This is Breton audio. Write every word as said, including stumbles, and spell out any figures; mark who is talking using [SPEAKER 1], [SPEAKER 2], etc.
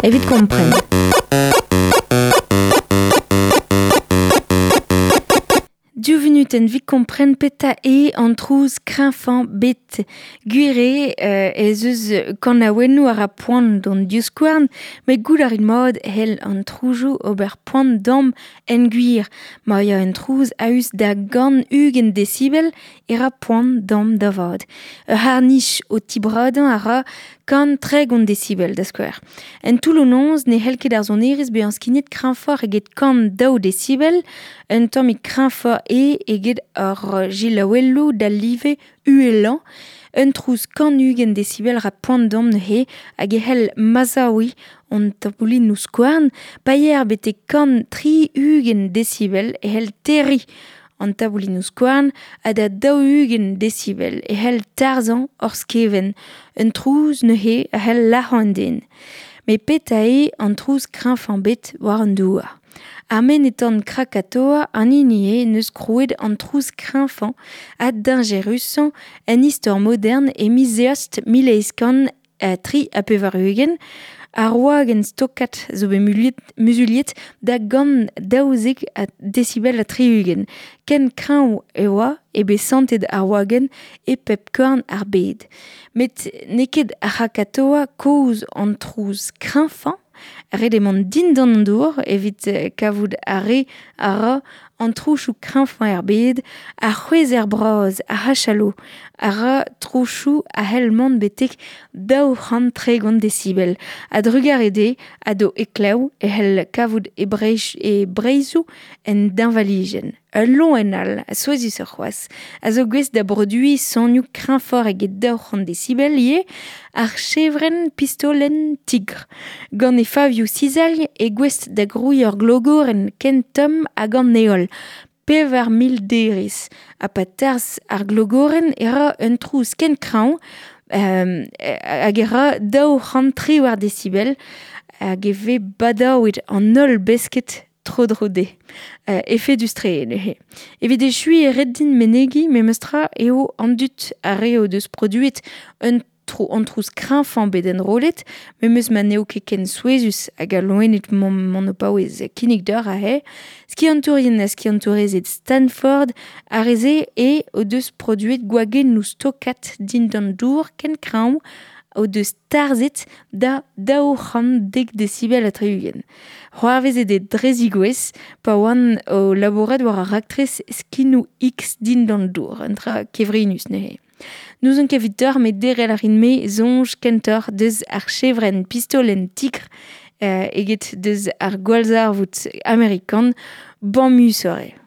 [SPEAKER 1] Evit kompren. Div vunutenn evit kompren petra eo an trouz kreñvañ bet. Gwir eo euh, ez eus kanaouennoù a ra poan d'hon divskouarn, met goût a rit mat c'hell an trouzoù ober poan d'amp en gwir. Ma ya un trouz a-us da gant ugent desibel e ra poan d'amp da vat. Ur c'harr-nij o tibradañ a ra kant tregont desibel da skouer. En toull-noz ne c'hell ket ar sonerezh bezañ skignet kreñvoc'h eget kant daou desibel, un tammig kreñvoc'h eo eget ar gilaouelloù d'al live uhelañ. Un trouz kant ugent desibel ra poan d'amp neuze hag e c'hell mazaouiñ hon taboulinoù skouarn, pa yer betek kant tri ugent desibel e c'hell terriñ an taboulinoù skouarn ha da daou-ugent desibel e c'hell tarzhañ hor skevent. Un trouz neuze a c'hell lazhañ an den. Met petra eo an trouz kreñvañ bet war an douar. Ar menez-tan Krakatoa an hini eo n'eus krouet an trouz kreñvañ ha dañjerusañ en istor modern e miz Eost mil eizh kant tri ha pevar-ugent. Ar wagenn stokat zo bet muliet, muzuliet da gant daouzek a desibel ha tri-ugent. Ken kreñv e oa e bet santet ar wagenn e pep korn ar bed. Met n'eo ket ar C'hrakatoa kozh an trouz kreñvañ, ret eo mont dindan an dour evit kavout ar re a ra an trouzoù kreñvañ er bed, ar c'hwezher bras, ar c'hachalot, a ra trouzoù a c'hell mont betek daou c'hant tregont desibel. A-drugarez dezhe ha d'o heklev e c'hell kavout e breizh, e breizhoù en deñvalijenn. Ul loen all, a souezhusoc'h c'hoazh, a zo gouest da broduiñ sonioù kreñvoc'h eget daou c'hant desibel ivez, ar chevrenn pistolenn tigr. Gant e favioù sizalh eo gouest da grouiñ ur glogorenn ken tomm hag an heol. Pevar mil derez. Ha pa tarzh ar glogorenn e ra un trouz ken kreñv euh, hag e ra daou c'hant triwec'h desibel hag e vez badaouet an holl besked tro-dro dezhe. Euh, efedus-tre neuze. Evit echuiñ e ret din menegiñ memestra eo an dud ar re o deus produet un tro an trouz kreñvañ bet enrollet, memes ma n'eo ket ken souezhus hag al loened mont o paouez kinnig deoc'h aze. Skiantourien ha skiantourezed Stanford ar re-se eo o deus produet gwagennoù stokat dindan dour ken kreñv o deus tarzhet da daou c'hant dek desibel ha tri-ugent. C'hoarvezet eo dre zigouez pa oan o labourat war ar raktres skinoù X dindan dour, un dra kevrinus neuze. N'ouzon ket evit deoc'h met derc'hel a rin-me soñj kentoc'h deus ar chevrenn pistolenn tigr euh, eget deus ar gwallzarvoud amerikan bamusoc'h eo.